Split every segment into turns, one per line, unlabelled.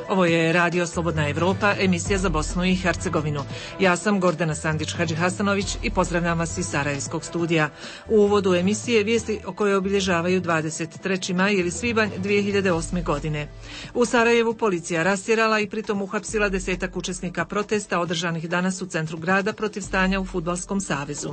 Ovo je Radio Slobodna Evropa, emisija za Bosnu i Hercegovinu. Ja sam Gordana Sandić-Hadžihasanović i pozdravljam vas iz Sarajevskog studija. U uvodu emisije vijesti o kojoj obilježavaju 23. maj ili svibanj 2008. godine. U Sarajevu policija rastjerala i pritom uhapsila 10 učesnika protesta održanih danas u centru grada protiv stanja u Fudbalskom savezu.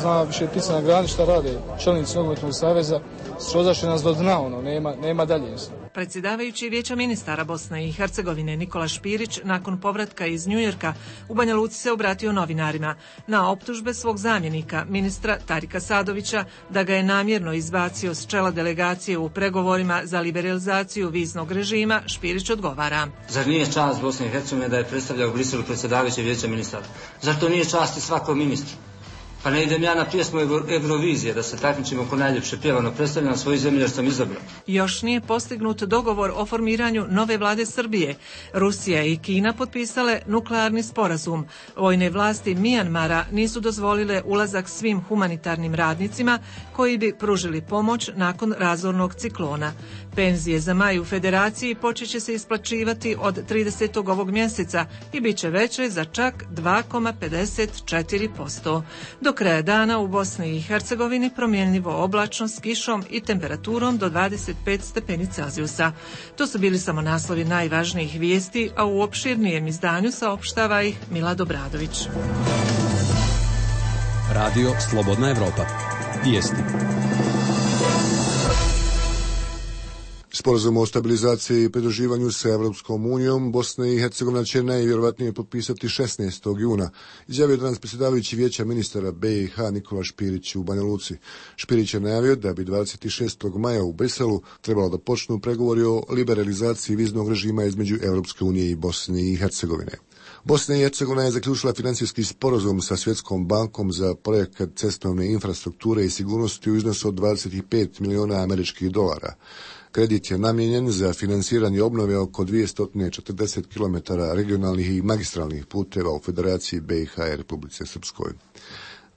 Zna više ptica na grani šta rade čelnici nogometnog saveza, srozaše nas do dna, nema dalje.
Predsjedavajući Vijeća ministara Bosne i Hercegovine Nikola Špirić nakon povratka iz Njujorka u Banja Luci se obratio novinarima na optužbe svog zamjenika, ministra Tarika Sadovića, da ga je namjerno izbacio s čela delegacije u pregovorima za liberalizaciju viznog režima. Špirić odgovara.
Zar nije čast Bosne i Hercegovine da je predstavljao u Briselu predsjedavajući Vijeća ministara? Zar to nije čast i svakom ministru? Pa ne idem ja na pjesmu Eurovizije da se takmičimo ko najljepše pjevano, predstavljam svoju zemlju jer sam izabrao.
Još nije postignut dogovor o formiranju nove vlade Srbije. Rusija i Kina potpisale nuklearni sporazum. Vojne vlasti Mijanmara nisu dozvolile ulazak svim humanitarnim radnicima koji bi pružili pomoć nakon razornog ciklona. Penzije za maj u Federaciji počet će se isplaćivati od 30. ovog mjeseca i bit će veće za čak 2,54%. Do kraja dana u Bosni i Hercegovini promjenljivo oblačno s kišom i temperaturom do 25 stepeni Celzijusa. To su bili samo naslovi najvažnijih vijesti, a u opširnijem izdanju saopštava ih Milad Obradović.
Radio Slobodna Evropa. Vijesti.
Sporazum o stabilizaciji i pridruživanju sa Evropskom unijom Bosna i Hercegovina će najvjerojatnije potpisati 16. juna, izjavio danas predsjedavajući Vijeća ministara BiH Nikola Špirić u Banja Luci. Špirić je najavio da bi 26. maja u Briselu trebalo da počnu pregovori o liberalizaciji viznog režima između Evropske unije i Bosne i Hercegovine. Bosna i Hercegovina je zaključila financijski sporazum sa Svjetskom bankom za projekat cestovne infrastrukture i sigurnosti u iznosu od 25 miliona američkih dolara. Kredit je namijenjen za finansiranje obnove oko 240 km regionalnih i magistralnih puteva u Federaciji BiH i Republike Srpskoj.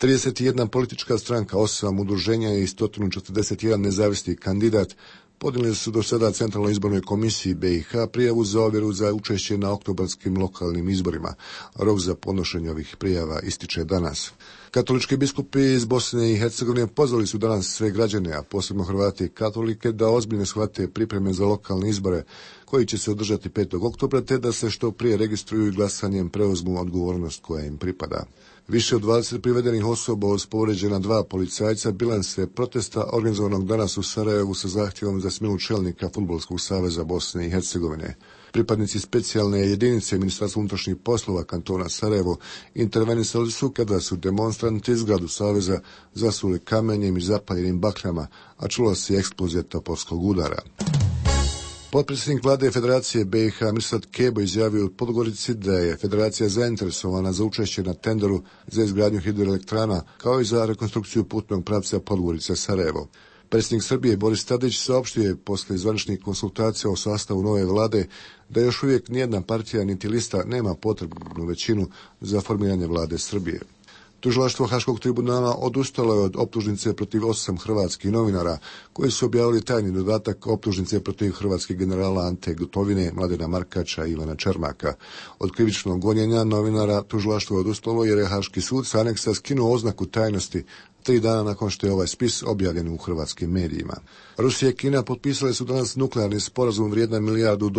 31 politička stranka, 8 udruženja i 141 nezavisni kandidat podnijeli su do sada Centralnoj izbornoj komisiji BiH prijavu za ovjeru za učešće na oktobarskim lokalnim izborima. Rok za podnošenje ovih prijava ističe danas. Katolički biskupi iz Bosne i Hercegovine pozvali su danas sve građane, a posebno Hrvate i katolike, da ozbiljno shvate pripreme za lokalne izbore koji će se održati 5. oktobra, te da se što prije registruju i glasanjem preuzmu odgovornost koja im pripada. Više od 20 privedenih osoba uz povrijeđena 2 policajca bilans je protesta organizovanog danas u Sarajevu sa zahtjevom za smjenu čelnika Fudbalskog saveza Bosne i Hercegovine. Pripadnici specijalne jedinice Ministarstva unutrašnjih poslova kantona Sarajevo intervenisali su kada su demonstranti zgradu saveza zasuli kamenjem i zapaljenim bakljama, a čula se eksplozija topovskog udara. Potpredsjednik vlade Federacije BiH Mirsad Kebo izjavio u Podgorici da je Federacija zainteresovana za učešće na tenderu za izgradnju hidroelektrana kao i za rekonstrukciju putnog pravca Podgorica-Sarajevo. Predsjednik Srbije Boris Tadić saopštio je posle zvaničnih konsultacija o sastavu nove vlade da još uvijek nijedna partija niti lista nema potrebnu većinu za formiranje vlade Srbije. Tužilaštvo Haškog tribunala odustalo je od optužnice protiv 8 hrvatskih novinara koji su objavili tajni dodatak optužnice protiv hrvatskih generala Ante Gotovine, Mladena Markača i Ivana Čermaka. Od krivičnog gonjenja novinara tužilaštvo je odustalo jer je Haški sud sa aneksa skinuo oznaku tajnosti 3 dana nakon što je ovaj spis objavljen u hrvatskim medijima. Rusija i Kina potpisale su danas nuklearni sporazum vrijedan $1 milijardu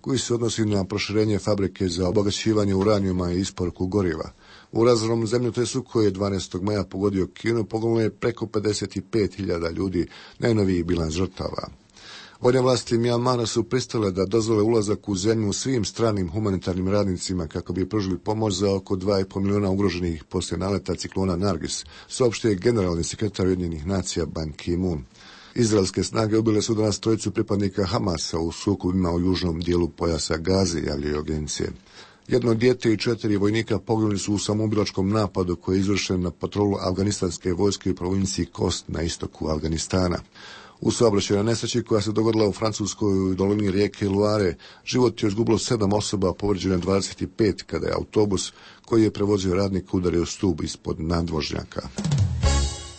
koji se odnosi na proširenje fabrike za obogaćivanje uranijuma i isporuku goriva. U razornom zemljotresu koji je 12. maja pogodio Kinu poginulo je preko 55.000 ljudi, najnoviji bilans žrtava. Vojne vlasti Mijanmara su pristale da dozvole ulazak u zemlju svim stranim humanitarnim radnicima kako bi pružili pomoć za oko 2,5 miliona ugroženih poslije naleta ciklona Nargis, saopštio je generalni sekretar Ujedinjenih nacija Ban Ki-moon. Izraelske snage ubile su danas 3 pripadnika Hamasa u sukobima u južnom dijelu pojasa Gaze, javljaju agencije. 1 dijete i 4 vojnika poginuli su u samoubilačkom napadu koji je izvršen na patrolu afganistanske vojske u provinciji Kost na istoku Afganistana. U saobraćajnoj nesreći koja se dogodila u Francuskoj u dolini rijeke Loire, život je izgubilo 7 osoba, povrijeđeno 25 kada je autobus koji je prevozio radnika udario stup ispod nadvožnjaka.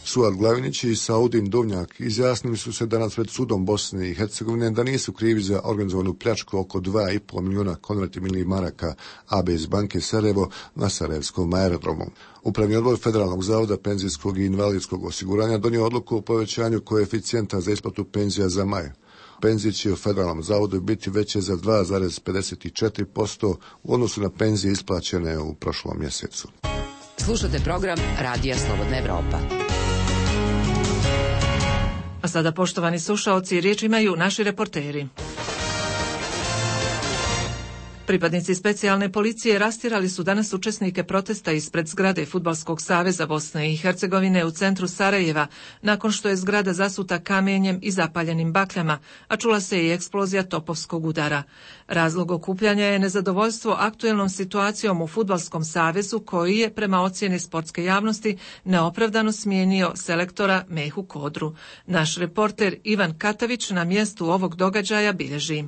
Suad Glavinić i Saudin Dovnjak izjasnili su se danas pred sudom Bosne i Hercegovine da nisu krivi za organizovanu pljačku oko 2,5 milijuna konvertibilnih maraka ABS banke Sarajevo na Sarajevskom aerodromu. Upravni odbor Federalnog zavoda penzijskog i invalidskog osiguranja donio odluku o povećanju koeficijenta za isplatu penzija za maj. Penzije će u Federalnom zavodu biti veće za 2,54% u odnosu na penzije isplaćene u prošlom mjesecu.
Slušate program Radija Slobodna Evropa.
A sada, poštovani slušaoci, riječ imaju naši reporteri. Pripadnici specijalne policije rastjerali su danas učesnike protesta ispred zgrade Fudbalskog saveza Bosne i Hercegovine u centru Sarajeva, nakon što je zgrada zasuta kamenjem i zapaljenim bakljama, a čula se i eksplozija topovskog udara. Razlog okupljanja je nezadovoljstvo aktuelnom situacijom u Fudbalskom savezu, koji je, prema ocjeni sportske javnosti, neopravdano smijenio selektora Mehu Kodru. Naš reporter Ivan Katavić na mjestu ovog događaja bilježi.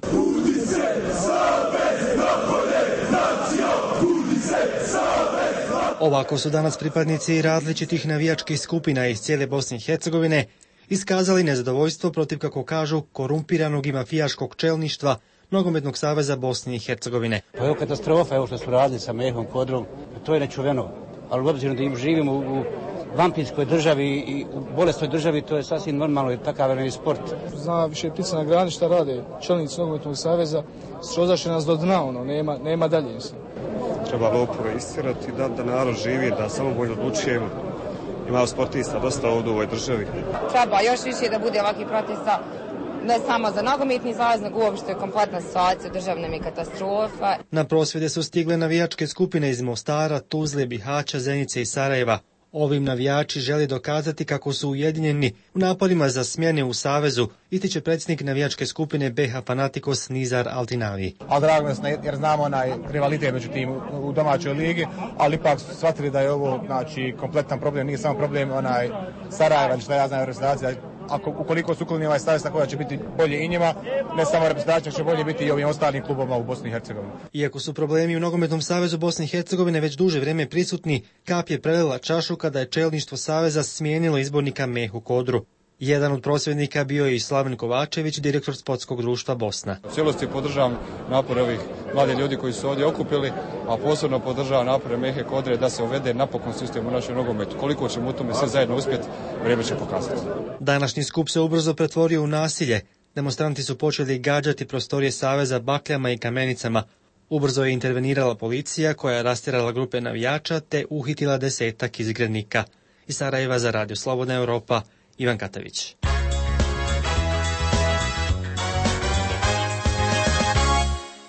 Ovako su danas pripadnici različitih navijačkih skupina iz cijele Bosne i Hercegovine iskazali nezadovoljstvo protiv, kako kažu, korumpiranog i mafijaškog čelništva Nogometnog saveza Bosne i Hercegovine.
Pa evo katastrofa, evo što su radili sa Mehom Kodrom, to je nečuveno, ali obzirom da im živimo u vampirskoj državi i u bolesnoj državi, to je sasvim normalno, jer takav je sport.
Zna više ptica na grani šta rade čelnici Nogometnog saveza, srozaše nas do dna, nema dalje.
Treba lopove istirati, da narod živi, da samovoljno odlučujemo. Ima sportista dosta ovdje u ovoj državi.
Treba još više da bude ovakvih protesta, ne samo za nogometni savez, nego uopšte kompletna situacija državna mi katastrofa.
Na prosvjede su stigle navijačke skupine iz Mostara, Tuzle, Bihaća, Zenice i Sarajeva. Ovim navijači žele dokazati kako su ujedinjeni u naporima za smjene u savezu, ističe predsjednik navijačke skupine BH Fanatikos Nizar Altinavi.
A drago nas jer znamo rivalitet među tim u domaćoj ligi, ali ipak shvatili da je ovo kompletan problem, nije samo problem Sarajeva, što ja znam reprezentacija. Ukoliko su ukloni ovaj savez, tako da će biti bolje i njima, ne samo reprezentacija, će bolje biti i ovim ostalim klubovima u Bosni i Hercegovini.
Iako su problemi u Nogometnom savezu Bosne i Hercegovine već duže vrijeme prisutni, kap je prelila čašu kada je čelništvo saveza smijenilo izbornika Mehu Kodru. Jedan od prosvjednika bio je i Slaven Kovačević, direktor Sportskog društva Bosna.
U cijelosti podržavam napore ovih mladih ljudi koji su ovdje okupili, a posebno podržavam napore Mehe Kodre da se uvede napokon sistem u našem nogometu. Koliko ćemo u tome sve zajedno uspjeti, vrijeme će pokazati.
Današnji skup se ubrzo pretvorio u nasilje. Demonstranti su počeli gađati prostorije saveza bakljama i kamenicama. Ubrzo je intervenirala policija koja je rastjerala grupe navijača te uhitila 10-ak izgrednika. Iz Sarajeva za Radio Slobodna Europa, Ivan Katavić.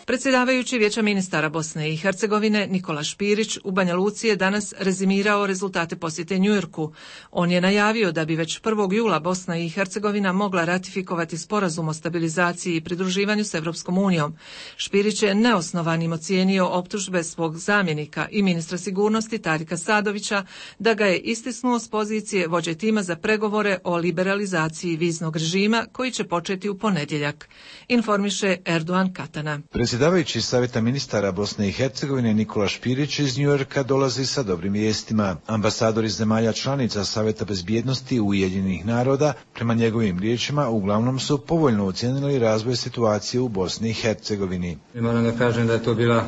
Predsjedavajući Vijeća ministara Bosne i Hercegovine Nikola Špirić u Banja Luci je danas rezimirao rezultate posjete Njujorku. On je najavio da bi već 1. jula Bosna i Hercegovina mogla ratifikovati sporazum o stabilizaciji i pridruživanju s Evropskom unijom. Špirić je neosnovanim ocijenio optužbe svog zamjenika i ministra sigurnosti Tarika Sadovića da ga je istisnuo s pozicije vođe tima za pregovore o liberalizaciji viznog režima koji će početi u ponedjeljak. Informiše Erdogan Katana.
Predsjedavajući Savjeta ministara Bosne i Hercegovine Nikola Špirić iz Njujorka dolazi sa dobrim vijestima. Ambasadori zemalja članica Savjeta bezbjednosti Ujedinjenih naroda, prema njegovim riječima, uglavnom su povoljno ocijenili razvoj situacije u Bosni i Hercegovini.
Moram da kažem da je to bila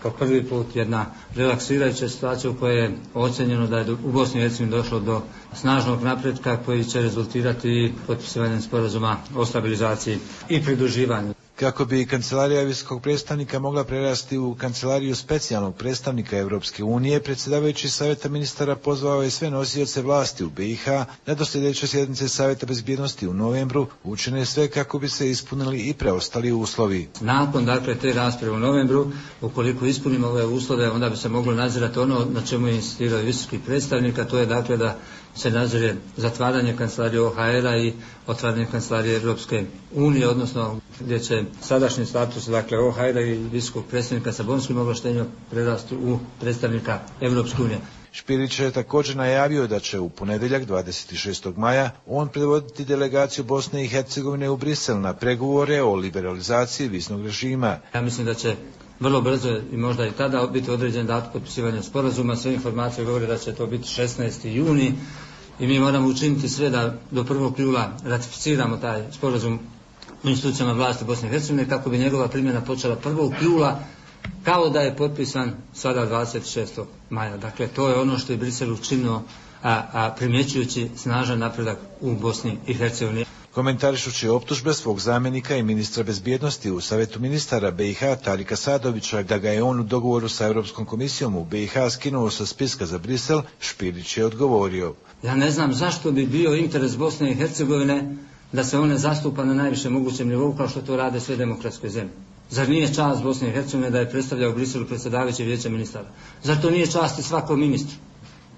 po prvi put jedna relaksirajuća situacija u kojoj je ocjenjeno da je u Bosni i Hercegovini došlo do snažnog napretka koji će rezultirati potpisivanjem sporazuma o stabilizaciji i pridruživanju.
Kako bi kancelarija visokog predstavnika mogla prerasti u kancelariju specijalnog predstavnika Europske unije, predsjedavajući Savjeta ministara pozvao je sve nosioce vlasti u BiH da do sljedeće sjednice Savjeta bezbjednosti u novembru učine sve kako bi se ispunili i preostali uslovi.
Nakon te rasprave u novembru, ukoliko ispunimo ove uslove, onda bi se moglo nadzirati ono na čemu je insistirao visoki predstavnik, a to je da se nadzire zatvaranje kancelarije OHR-a i otvaranje kancelarije Europske unije, odnosno gdje će sadašnji status OHR-a i visokog predstavnika sa bonskim ovlaštenjima prerasti u predstavnika Europske unije.
Špirić je također najavio da će u ponedjeljak 26. maja on predvoditi delegaciju Bosne i Hercegovine u Brisel na pregovore o liberalizaciji viznog režima.
Ja mislim da će vrlo brzo i možda i tada biti određen datum potpisivanja sporazuma. Sve informacije govore da će to biti 16. juni. I mi moramo učiniti sve da do 1. jula ratificiramo taj sporazum u institucijama vlasti Bosne i Hercegovine kako bi njegova primjena počela 1. jula kao da je potpisan sada 26. maja. Dakle, to je ono što je Brisel učinio, primjećujući snažan napredak u Bosni i Hercegovini.
Komentarišući optužbe svog zamjenika i ministra bezbjednosti u Savjetu ministara BiH Tarika Sadovića da ga je on u dogovoru sa Europskom komisijom u BiH skinuo sa spiska za Brisel, Špirić je odgovorio.
Ja ne znam zašto bi bio interes Bosne i Hercegovine da se one zastupa na najvišem mogućem nivou kao što to rade sve demokratske zemlje. Zar nije čast Bosne i Hercegovine da je predstavljao u Briselu predsjedavajući vijeća ministara? Zar to nije čast i svakom ministru?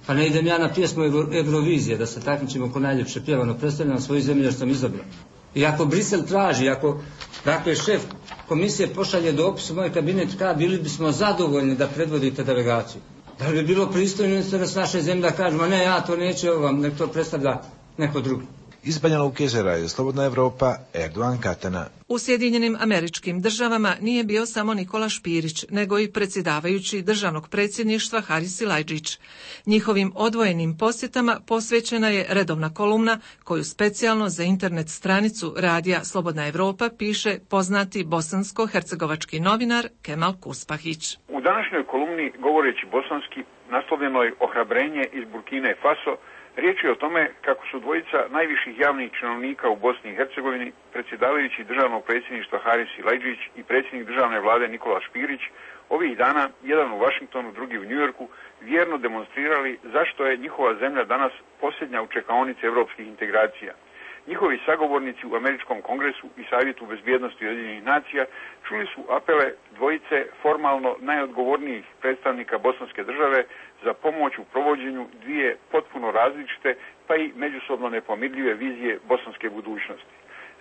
Pa ne idem ja na pjesmu Eurovizije da se takmičimo ko najljepše pjevano predstavljam svoju zemlju jer sam izabran. I ako Brisel traži, ako dakle šef komisije pošalje dopis u moj kabinet, bili bismo zadovoljni da predvodite delegaciju. Da li bi bilo pristojno interes naše zemlje da kažemo ne, ja to neću, vam nek to predstavlja neko drugi.
Iz Banja Luke za Radio Slobodna Evropa, Erdogan Katana.
U Sjedinjenim Američkim Državama nije bio samo Nikola Špirić, nego i predsjedavajući državnog predsjedništva Haris Silajdžić. Njihovim odvojenim posjetama posvećena je redovna kolumna koju specijalno za internet stranicu Radija Slobodna Evropa piše poznati bosansko-hercegovački novinar Kemal Kuspahić.
U današnjoj kolumni, govoreći bosanski, naslovljenoj Ohrabrenje iz Burkine Faso, riječ je o tome kako su dvojica najviših javnih činovnika u Bosni i Hercegovini, predsjedavajući državnog predsjedništva Haris Silajdžić i predsjednik državne vlade Nikola Špirić, ovih dana, jedan u Vašingtonu, drugi u Njujorku, vjerno demonstrirali zašto je njihova zemlja danas posljednja u čekaonici europskih integracija. Njihovi sagovornici u Američkom kongresu i Savjetu bezbjednosti Ujedinjenih nacija čuli su apele dvojice formalno najodgovornijih predstavnika bosanske države za pomoć u provođenju dvije potpuno različite pa i međusobno nepomirljive vizije bosanske budućnosti.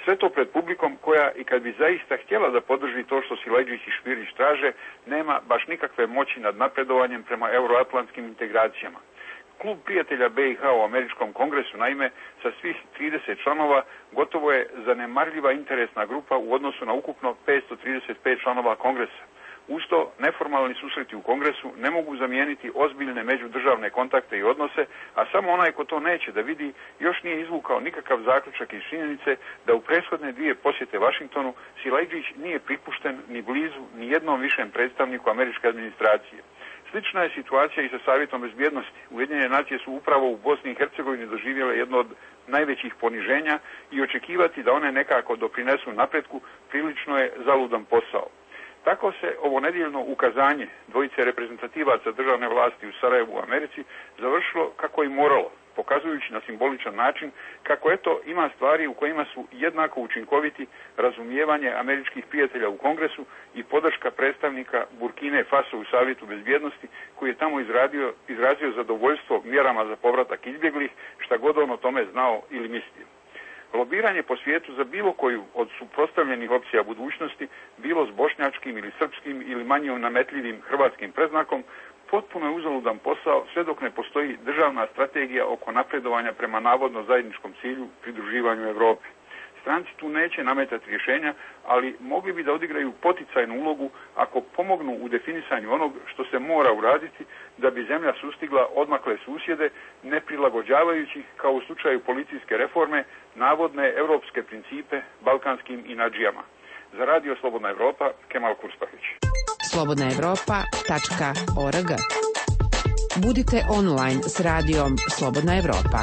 Sve to pred publikom koja i kad bi zaista htjela da podrži to što Silajdžić i Špirić traže, nema baš nikakve moći nad napredovanjem prema euroatlantskim integracijama. Klub prijatelja BiH u Američkom kongresu, naime, sa svih 30 članova, gotovo je zanemarljiva interesna grupa u odnosu na ukupno 535 članova kongresa. Usto, neformalni susreti u kongresu ne mogu zamijeniti ozbiljne međudržavne kontakte i odnose, a samo onaj ko to neće da vidi još nije izvukao nikakav zaključak iz činjenice da u prethodne dvije posjete Vašingtonu Silajdžić nije pripušten ni blizu ni jednom višem predstavniku američke administracije. Slična je situacija i sa Savjetom bezbjednosti. Ujedinjene nacije su upravo u Bosni i Hercegovini doživjele jedno od najvećih poniženja i očekivati da one nekako doprinesu napretku prilično je zaludan posao. Tako se ovo nedjeljno ukazanje dvojice reprezentativaca državne vlasti u Sarajevu u Americi završilo kako i moralo, pokazujući na simboličan način kako eto ima stvari u kojima su jednako učinkoviti razumijevanje američkih prijatelja u Kongresu i podrška predstavnika Burkine Faso u Savjetu bezbjednosti koji je tamo izrazio zadovoljstvo mjerama za povratak izbjeglih, šta god on o tome znao ili mislio. Lobiranje po svijetu za bilo koju od suprotstavljenih opcija budućnosti, bilo s bošnjačkim ili srpskim ili manje nametljivim hrvatskim predznakom, potpuno je uzaludan posao sve dok ne postoji državna strategija oko napredovanja prema navodno zajedničkom cilju pridruživanju Europi. Stranci tu neće nametati rješenja, ali mogli bi da odigraju poticajnu ulogu ako pomognu u definisanju onog što se mora uraditi da bi zemlja sustigla odmakle susjede, ne prilagođavajući, kao u slučaju policijske reforme, navodne europske principe balkanskim inadžijama. Za Radio Slobodna Evropa, Kemal Kuspahić.
slobodnaevropa.org. Budite online s radijom Slobodna Evropa.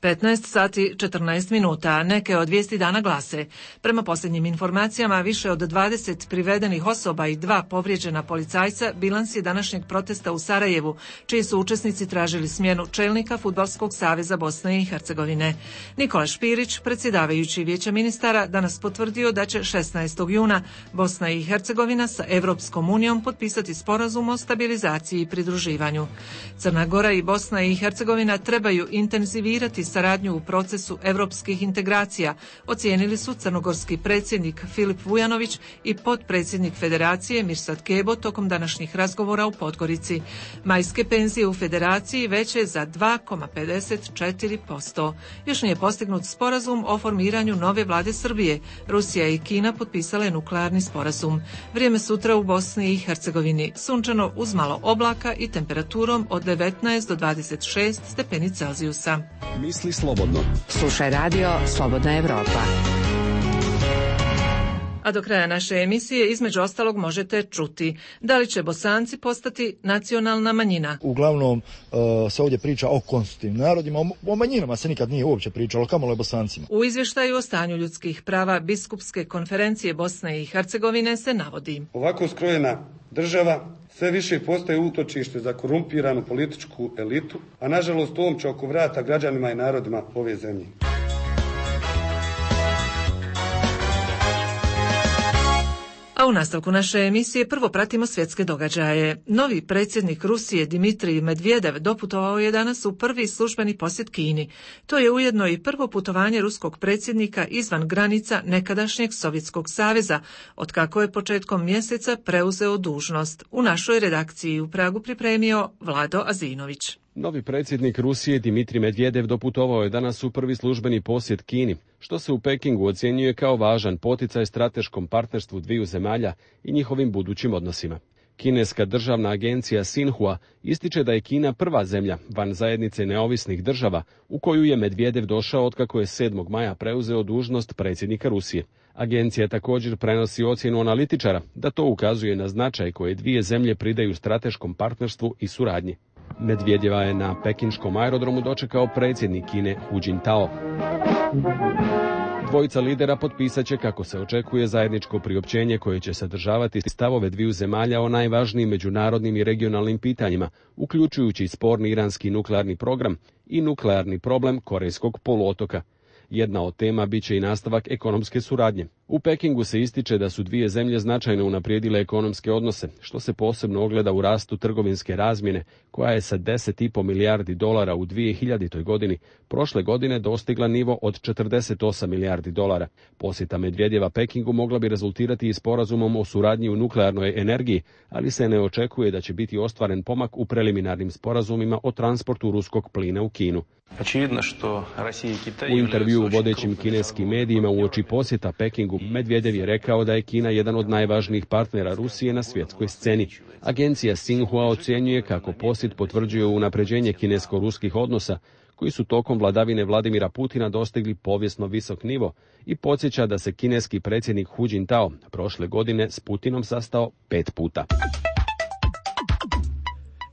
15 sati 14 minuta. Neke od vijesti dana glase. Prema posljednjim informacijama, više od 20 privedenih osoba i 2 povrijeđena policajca bilans je današnjeg protesta u Sarajevu, čiji su učesnici tražili smjenu čelnika Fudbalskog saveza Bosne i Hercegovine. Nikola Špirić, predsjedavajući vijeća ministara, danas potvrdio da će 16. juna Bosna i Hercegovina sa Europskom unijom potpisati sporazum o stabilizaciji i pridruživanju. Crna Gora i Bosna i Hercegovina trebaju intenzivirati saradnju u procesu evropskih integracija, ocijenili su crnogorski predsjednik Filip Vujanović i potpredsjednik Federacije Mirsad Kebo tokom današnjih razgovora u Podgorici. Majske penzije u Federaciji veće za 2,54%. Još nije postignut sporazum o formiranju nove vlade Srbije. Rusija i Kina potpisale nuklearni sporazum. Vrijeme sutra u Bosni i Hercegovini. Sunčano uz malo oblaka i temperaturom od 19 do 26 stepeni Celzijusa.
Misli slobodno.
Slušaj radio Slobodna Evropa.
A do kraja naše emisije između ostalog možete čuti da li će Bosanci postati nacionalna manjina.
Uglavnom se ovdje priča o konstitutivnim narodima, o manjinama se nikad nije uopće pričalo, kamoli o Bosancima.
U izvještaju o stanju ljudskih prava Biskupske konferencije Bosne i Hercegovine se navodi:
ovako skrojena država sve više postaje utočište za korumpiranu političku elitu, a nažalost omča oko vrata građanima i narodima ove zemlje.
A u nastavku naše emisije prvo pratimo svjetske događaje. Novi predsjednik Rusije Dmitrij Medvedev doputovao je danas u prvi službeni posjet Kini. To je ujedno i prvo putovanje ruskog predsjednika izvan granica nekadašnjeg Sovjetskog saveza, otkako je početkom mjeseca preuzeo dužnost. U našoj redakciji u Pragu pripremio Vlado Azinović.
Novi predsjednik Rusije Dmitrij Medvedev doputovao je danas u prvi službeni posjet Kini, što se u Pekingu ocjenjuje kao važan poticaj strateškom partnerstvu dviju zemalja i njihovim budućim odnosima. Kineska državna agencija Sinhua ističe da je Kina prva zemlja van zajednice neovisnih država u koju je Medvedev došao otkako je 7. maja preuzeo dužnost predsjednika Rusije. Agencija također prenosi ocjenu analitičara da to ukazuje na značaj koje dvije zemlje pridaju strateškom partnerstvu i suradnji. Medvedjeva je na pekinškom aerodromu dočekao predsjednik Kine Hu Jintao. Dvojica lidera potpisat će, kako se očekuje, zajedničko priopćenje koje će sadržavati stavove dviju zemalja o najvažnijim međunarodnim i regionalnim pitanjima, uključujući sporni iranski nuklearni program i nuklearni problem Korejskog poluotoka. Jedna od tema biće i nastavak ekonomske suradnje. U Pekingu se ističe da su dvije zemlje značajno unaprijedile ekonomske odnose, što se posebno ogleda u rastu trgovinske razmjene, koja je sa $10,5 milijardi u 2000. godini prošle godine dostigla nivo od $48 milijardi. Posjeta Medvedjeva Pekingu mogla bi rezultirati i sporazumom o suradnji u nuklearnoj energiji, ali se ne očekuje da će biti ostvaren pomak u preliminarnim sporazumima o transportu ruskog plina u Kinu. U intervjuu u vodećim kineskim medijima uoči posjeta Pekingu, Medvedev je rekao da je Kina jedan od najvažnijih partnera Rusije na svjetskoj sceni. Agencija Sinhua ocjenjuje kako posjet potvrđuje unapređenje kinesko-ruskih odnosa, koji su tokom vladavine Vladimira Putina dostigli povijesno visok nivo, i podsjeća da se kineski predsjednik Hu Jintao prošle godine s Putinom sastao 5 puta.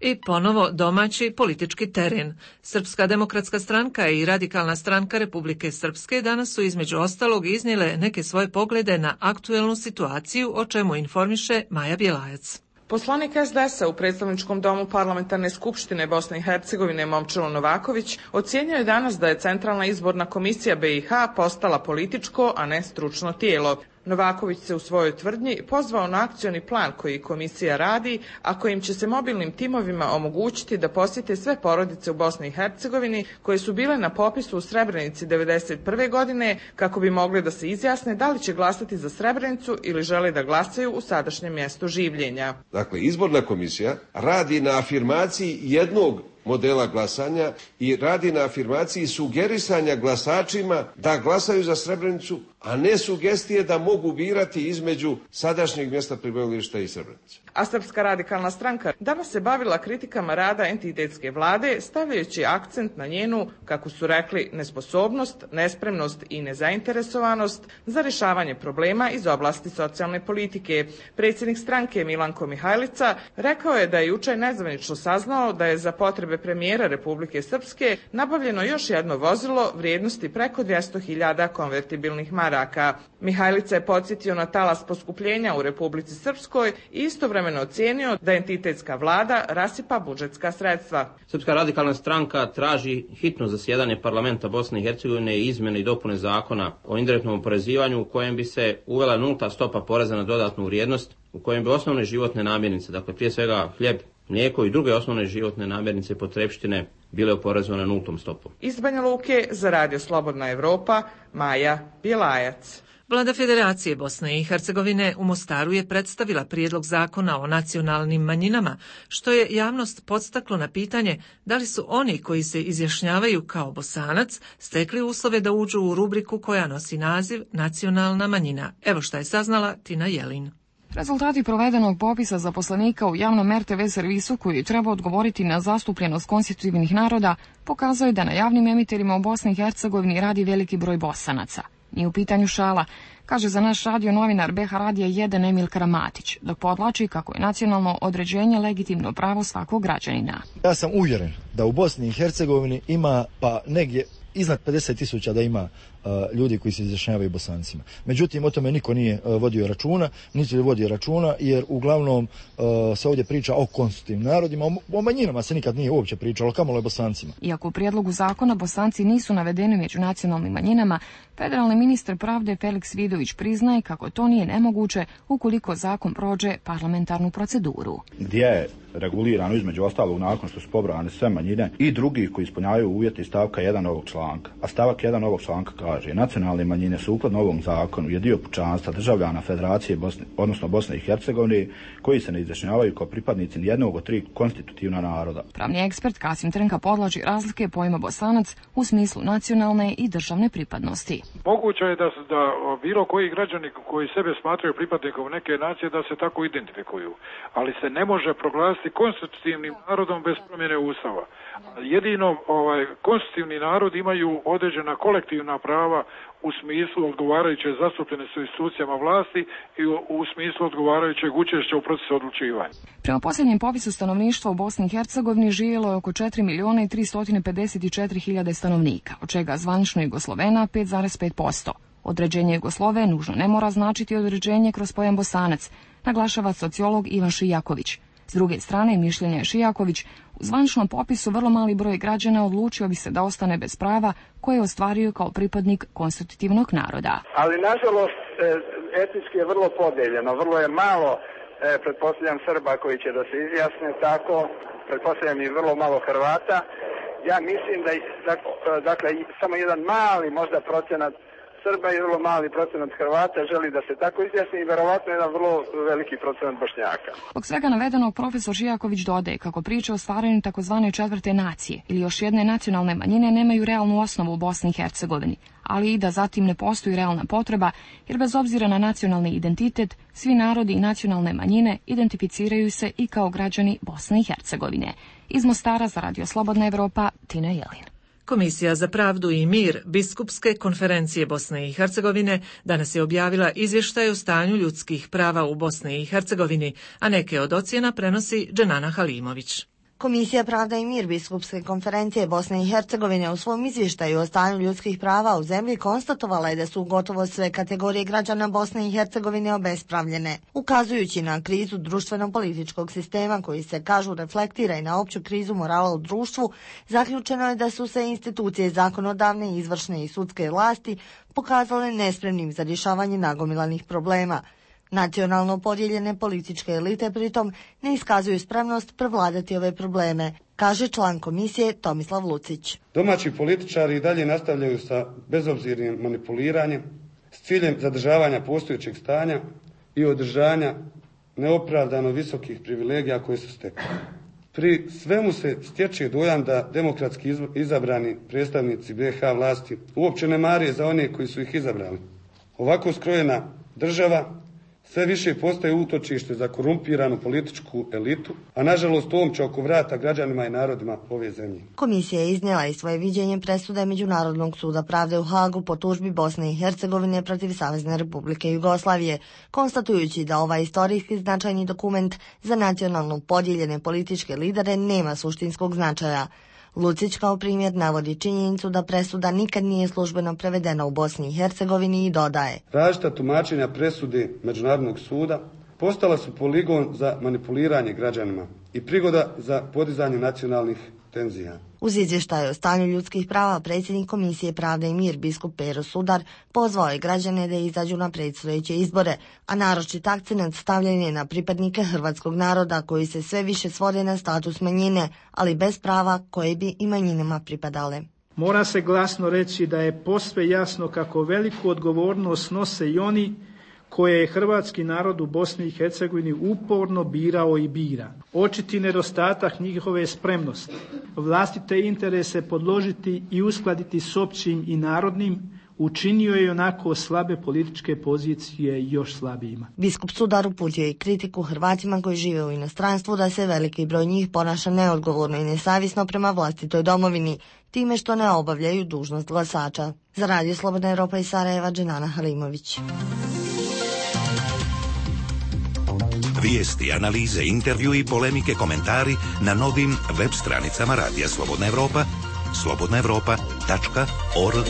I ponovo domaći politički teren. Srpska demokratska stranka i Radikalna stranka Republike Srpske danas su između ostalog iznijele neke svoje poglede na aktuelnu situaciju, o čemu informiše Maja Bjelajac.
Poslanik SDS-a u predstavničkom domu Parlamentarne skupštine Bosne i Hercegovine Momčilo Novaković ocjenjuje je danas da je Centralna izborna komisija BiH postala političko, a ne stručno tijelo. Novaković se u svojoj tvrdnji pozvao na akcioni plan koji komisija radi, a kojim će se mobilnim timovima omogućiti da posjete sve porodice u Bosni i Hercegovini koje su bile na popisu u Srebrenici 1991. godine, kako bi mogli da se izjasne da li će glasati za Srebrenicu ili žele da glasaju u sadašnjem mjestu življenja.
Dakle, izborna komisija radi na afirmaciji jednog modela glasanja i radi na afirmaciji sugerisanja glasačima da glasaju za Srebrenicu, a ne sugestije da mogu birati između sadašnjeg mjesta prebivališta i Srebrenice.
A Srpska radikalna stranka danas se bavila kritikama rada entitetske vlade, stavljajući akcent na njenu, kako su rekli, nesposobnost, nespremnost i nezainteresovanost za rješavanje problema iz oblasti socijalne politike. Predsjednik stranke Milanko Mihajlica rekao je da je jučer nezvanično saznao da je za potrebe premijera Republike Srpske nabavljeno još jedno vozilo vrijednosti preko 200.000 konvertibilnih maraka. Mihajlica je podsjetio na talas poskupljenja u Republici Srpskoj i istovremeno ocijenio da entitetska vlada rasipa budžetska sredstva.
Srpska radikalna stranka traži hitno zasjedanje parlamenta Bosne i Hercegovine i izmjene i dopune zakona o indirektnom oporezivanju u kojem bi se uvela nulta stopa poreza na dodatnu vrijednost, u kojem bi osnovne životne namirnice, dakle prije svega hljeb, mlijeko i druge osnovne životne namirnice i potrepštine bile oporezovane nultom stopom.
Iz Banja Luke za Radio Slobodna Evropa, Maja Bjelajac.
Vlada Federacije Bosne i Hercegovine u Mostaru je predstavila prijedlog zakona o nacionalnim manjinama, što je javnost podstaklo na pitanje da li su oni koji se izjašnjavaju kao Bosanac stekli uslove da uđu u rubriku koja nosi naziv nacionalna manjina. Evo šta je saznala Tina Jelin.
Rezultati provedenog popisa zaposlenika u javnom RTV servisu koji treba odgovoriti na zastupljenost konstitutivnih naroda pokazuje da na javnim emiterima u Bosni i Hercegovini radi veliki broj Bosanaca. Nije u pitanju šala, kaže za naš radio novinar BH Radija 1 Emil Karamatić, dok podvlači kako je nacionalno određenje legitimno pravo svakog građanina.
Ja sam uvjeren da u Bosni i Hercegovini ima pa negdje iznad 50.000 da ima ljudi koji se izjašnjavaju Bosancima. Međutim, o tome niko nije vodio računa, niti vodi računa, jer uglavnom se ovdje priča o konstitutivnim narodima, o manjinama se nikad nije uopće pričalo, kamoli o Bosancima.
Iako u prijedlogu zakona Bosanci nisu navedeni među nacionalnim manjinama, federalni ministar pravde Felix Vidović priznaje kako to nije nemoguće ukoliko zakon prođe parlamentarnu proceduru.
Gdje je regulirano između ostalog nakon što su pobrojane sve manjine i drugih koji ispunjavaju uvjete iz stavka 1 ovog članka. A stavak 1 ovog članka kaže: nacionalne manjine sukladno ovom zakonu je dio pučanstva državljana Federacije Bosne i Hercegovine koji se ne izjašnjavaju kao pripadnici nijednog od 3 konstitutivna naroda.
Pravni ekspert Kasim Trnka podvlači razlike pojma Bosanac u smislu nacionalne i državne pripadnosti.
Moguće je da bilo koji građani koji sebe smatraju pripadnikom neke nacije da se tako identifikuju, ali se ne može proglasiti konstitutivnim narodom bez promjene Ustava. Jedino konstitutivni narod imaju određena kolektivna prava u smislu odgovarajuće zastupljenosti u institucijama vlasti i u smislu odgovarajućeg učešća u procesu odlučivanja.
Prema posljednjem popisu stanovništva u Bosni i Hercegovini živjelo je oko 4.354.000 stanovnika, od čega zvanično Jugoslovena 5,5%. Određenje Jugoslove nužno ne mora značiti određenje kroz pojam Bosanac, naglašava sociolog Ivan Šijaković. S druge strane, mišljenje je Šijaković, u zvaničnom popisu vrlo mali broj građana odlučio bi se da ostane bez prava koje je ostvario kao pripadnik konstitutivnog naroda.
Ali nažalost etnički je vrlo podijeljeno, vrlo je malo, pretpostavljam Srba koji će da se izjasne tako, pretpostavljam i vrlo malo Hrvata. Ja mislim da dakle samo jedan mali možda procenat Srba i vrlo mali procenat Hrvata želi da se tako izjasni i verovatno jedan vrlo veliki procenat Bošnjaka.
Zbog svega navedenog profesor Šijaković dodaje kako priče o stvaranju takozvane četvrte nacije ili još jedne nacionalne manjine nemaju realnu osnovu u Bosni i Hercegovini, ali i da zatim ne postoji realna potreba, jer bez obzira na nacionalni identitet, svi narodi i nacionalne manjine identificiraju se i kao građani Bosne i Hercegovine. Iz Mostara za Radio Slobodna Evropa, Tina Jelin.
Komisija za pravdu i mir Biskupske konferencije Bosne i Hercegovine danas je objavila izvještaj o stanju ljudskih prava u Bosni i Hercegovini, a neke od ocjena prenosi Dženana Halimović.
Komisija Pravda i mir Biskupske konferencije Bosne i Hercegovine u svom izvještaju o stanju ljudskih prava u zemlji konstatovala je da su gotovo sve kategorije građana Bosne i Hercegovine obespravljene, ukazujući na krizu društveno-političkog sistema koji se, kažu, reflektira i na opću krizu morala u društvu. Zaključeno je da su se institucije zakonodavne, izvršne i sudske vlasti pokazale nespremnim za rješavanje nagomilanih problema. Nacionalno podijeljene političke elite pritom ne iskazuju spremnost prevladati ove probleme, kaže član komisije Tomislav Lucić.
Domaći političari i dalje nastavljaju sa bezobzirnim manipuliranjem s ciljem zadržavanja postojećeg stanja i održanja neopravdano visokih privilegija koje su stekli. Pri svemu se stječe dojam da demokratski izabrani predstavnici BiH vlasti uopće ne mare za one koji su ih izabrali. Ovako skrojena država sve više postaje utočište za korumpiranu političku elitu, a nažalost omča oko vrata građanima i narodima ove zemlje.
Komisija je iznijela i svoje viđenje presude Međunarodnog suda pravde u Hagu po tužbi Bosne i Hercegovine protiv Savezne Republike Jugoslavije, konstatujući da ovaj istorijski značajni dokument za nacionalno podijeljene političke lidere nema suštinskog značaja. Lucić kao primjer navodi činjenicu da presuda nikad nije službeno prevedena u Bosni i Hercegovini i dodaje:
različita tumačenja presude Međunarodnog suda postala su poligon za manipuliranje građanima i prigoda za podizanje nacionalnih tenzija.
Uz izvještaj o stanju ljudskih prava, predsjednik Komisije Pravde i mir, biskup Pero Sudar, pozvao je građane da izađu na predstojeće izbore, a naročit akcenat stavljen je na pripadnike hrvatskog naroda koji se sve više svode na status manjine, ali bez prava koje bi i manjinama pripadale.
Mora se glasno reći da je posve jasno kako veliku odgovornost nose i oni koje je hrvatski narod u Bosni i Hercegovini uporno birao i bira. Očiti nedostatak njihove spremnosti, vlastite interese podložiti i uskladiti s općim i narodnim, učinio je onako slabe političke pozicije još slabijima.
Biskup Sudar uputio i kritiku Hrvatima koji žive u inostranstvu da se veliki broj njih ponaša neodgovorno i nesavjesno prema vlastitoj domovini, time što ne obavljaju dužnost glasača. Za Radio Slobodna Europa iz Sarajeva, Dženana Halimović.
Vijesti, analize, intervju i polemike, komentari na novim web stranicama Radija Slobodna Europa, slobodnaevropa.org.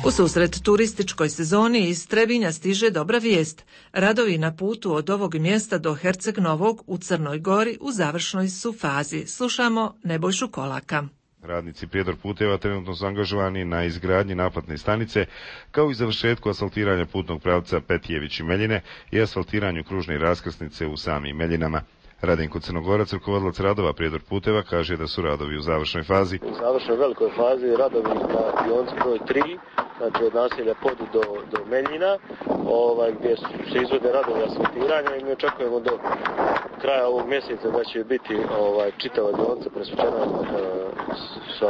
U susret turističkoj sezoni iz Trebinja stiže dobra vijest. Radovi na putu od ovog mjesta do Herceg Novog u Crnoj Gori u završnoj su fazi. Slušamo Nebojšu Kolaka.
Radnici Prijedor puteva trenutno su angažovani na izgradnji naplatne stanice, kao i završetku asfaltiranja putnog pravca Petijević i Meljine i asfaltiranju kružne raskrsnice u samim Meljinama. Radenko Crnogorac, rukovodilac radova Prijedor puteva, kaže da su radovi u završnoj fazi.
U završnoj velikoj fazi radovi na dionica broj 3, znači od naselja Podu do Meljina, gdje se izvode radovi asfaltiranja i mi očekujemo do kraja ovog mjeseca da će biti čitava dionica presvučena sa 2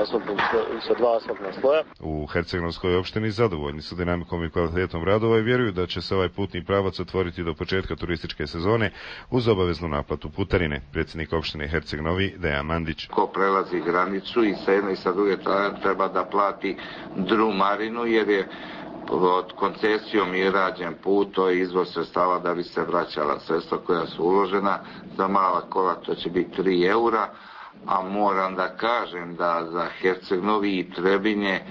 asfaltna sloja.
U Herceg-Novskoj opštini zadovoljni su dinamikom i kvalitetom radova i vjeruju da će se ovaj putni pravac otvoriti do početka turističke sezone uz obaveznu naplatu putarine. Predsjednik opštine Herceg-Novi Dejan Mandić.
Ko prelazi granicu i sa jedne i sa druge treba da plati drumarinu jer je od koncesijom i rađen put, to je izvor sredstava da bi se vraćala sredstva koja su uložena. Za mala kola to će biti 3 eura, a moram da kažem da za Herceg-Novi i Trebinje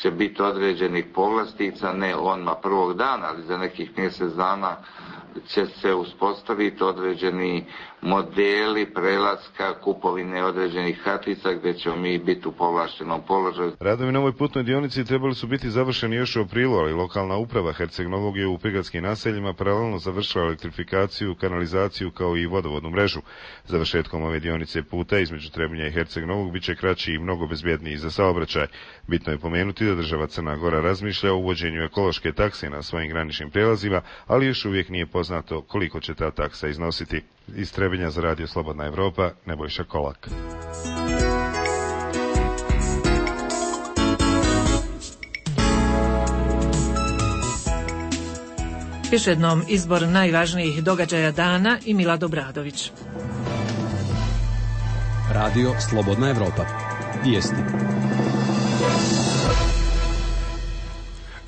će biti određenih povlastica, ne odmah prvog dana, ali za nekih mjesec dana će se uspostaviti određeni modeli prelaska, kupovine određenih kartica gdje ćemo mi biti u povlaštenom položaju.
Radovi na ovoj putnoj dionici trebali su biti završeni još u aprilu, ali lokalna uprava Herceg-Novog je u prigradskim naseljima paralelno završila elektrifikaciju, kanalizaciju kao i vodovodnu mrežu. Završetkom ove dionice puta između Trebinja i Herceg-Novog bit će kraći i mnogo bezbjedniji za saobraćaj. Bitno je pomenuti da država Crna Gora razmišlja o uvođenju ekološke takse na svojim graničnim prijelazima, ali još uvijek nije poznato koliko će ta taksa iznositi. Iz Trebinja za Radio Slobodna Evropa, Nebojša Kolak.
Još jednom izbor najvažnijih događaja dana i Milad Obradović.
Radio Slobodna Evropa. Vijesti.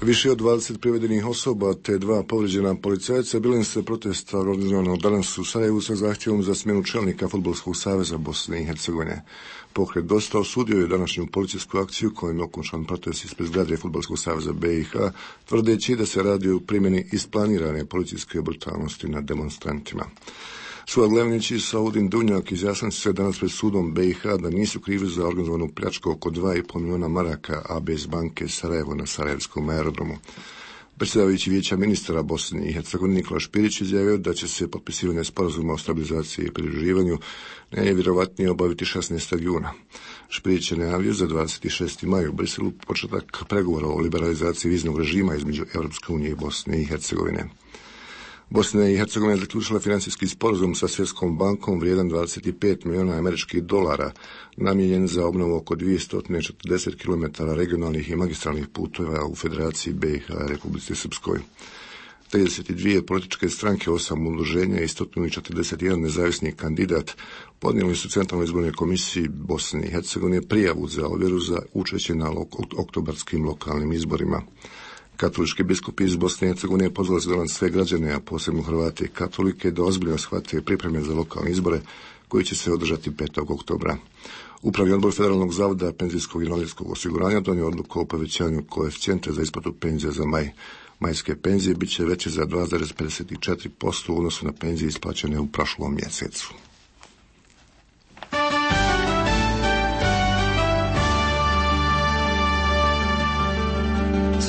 Više od 20 privedenih osoba te 2 povrijeđena policajca bili su protesta organizovanog danas u Sarajevu sa zahtjevom za smjenu čelnika Fudbalskog saveza Bosne i Hercegovine. Pokret Dosta osudio je današnju policijsku akciju kojom je okončan protest ispred zgrade Fudbalskog saveza BiH, tvrdeći da se radi o primjeni isplanirane policijske brutalnosti nad demonstrantima. Suad Levnić i Saudin Dunjak izjasnili su se danas pred sudom BiH da nisu krivi za organizovanu pljačku oko 2,5 milijuna maraka ABS banke Sarajevo na Sarajevskom aerodromu. Predsjedavajući vijeća ministara Bosne i Hercegovine Nikola Špirić izjavio da će se potpisivanje sporazuma o stabilizaciji i pridruživanju najvjerojatnije obaviti 16. juna. Špirić je najavio za 26. maj u Briselu početak pregovora o liberalizaciji viznog režima između Europske unije i Bosne i Hercegovine. Bosna i Hercegovina je zaključila financijski sporazum sa Svjetskom bankom vrijedan 25 milijuna američkih dolara, namijenjen za obnovu oko 240 km regionalnih i magistralnih putova u Federaciji BiH i Republici Srpskoj. 32 političke stranke, 8 udruženja i 141 nezavisni kandidat podnijeli su Centralnoj izbornoj komisiji Bosne i Hercegovine prijavu za ovjeru za učešće na oktobarskim lokalnim izborima. Katolički biskupi iz Bosne i Hercegovine pozvali su danas sve građane, a posebno Hrvate i katolike, da ozbiljno shvate pripreme za lokalne izbore koji će se održati 5. oktobra. Upravni odbor Federalnog zavoda penzijskog i invalidskog osiguranja donio odluku o povećanju koeficijenta za isplatu penzija za maj. Majske penzije bit će veće za 2,54% u odnosu na penzije isplaćene u prošlom mjesecu.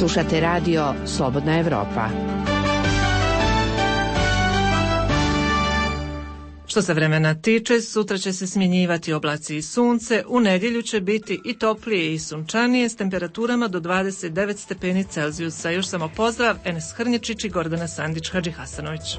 Slušate radio Slobodna Evropa.
Što se vremena tiče, sutra će se smjenjivati oblaci i sunce, u nedjelju će biti i toplije i sunčanije s temperaturama do 29 stepeni Celzijusa. Još samo pozdrav, Enes Hrnječić i Gordana Sandić-Hadžihasanović.